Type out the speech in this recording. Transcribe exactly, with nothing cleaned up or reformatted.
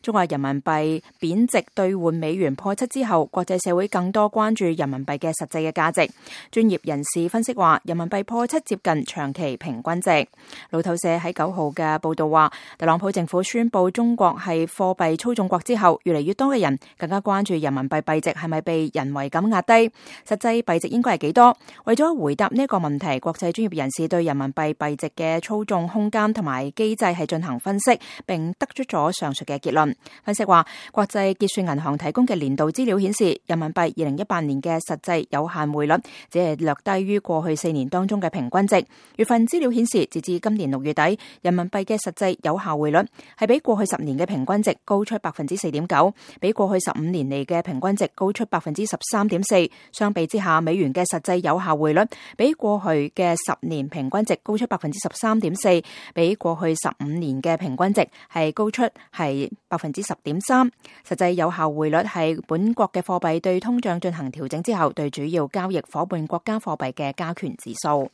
中國人民幣貶值兌換美元破七之後，國際社會更多關注人民幣嘅實際嘅價值。專業人士分析話，人民幣破七接近長期平均值。路透社喺九號嘅報道話，特朗普政府宣布中國係貨幣操縱國之後，越嚟越多嘅人更加關注人民幣幣值係咪被人為咁壓低，實際幣值應該係幾多？為咗回答呢一個問題，國際專業人士對人民幣幣值嘅操縱空間同埋機制係進行分析，並得出咗上述嘅結論。分析話，國際結算銀行提供嘅年度資料顯示，人民幣二零一八年嘅實際有限匯率只係略低於過去四年當中嘅平均值。月份資料顯示，截至今年六月底，人民幣嘅實際有效匯率係比過去十年嘅平均值高出百分之四點九，比過去十五年嚟嘅平均值高出百分之十三點四。相比之下，美元嘅實際有效匯率比過去嘅十年平均值高出百分之十三點四，比過去十五年嘅平均值係高出係百分之十點三。實際有效匯率係本國嘅貨幣對通脹進行調整之後，對主要交易夥伴國家貨幣嘅加權指數。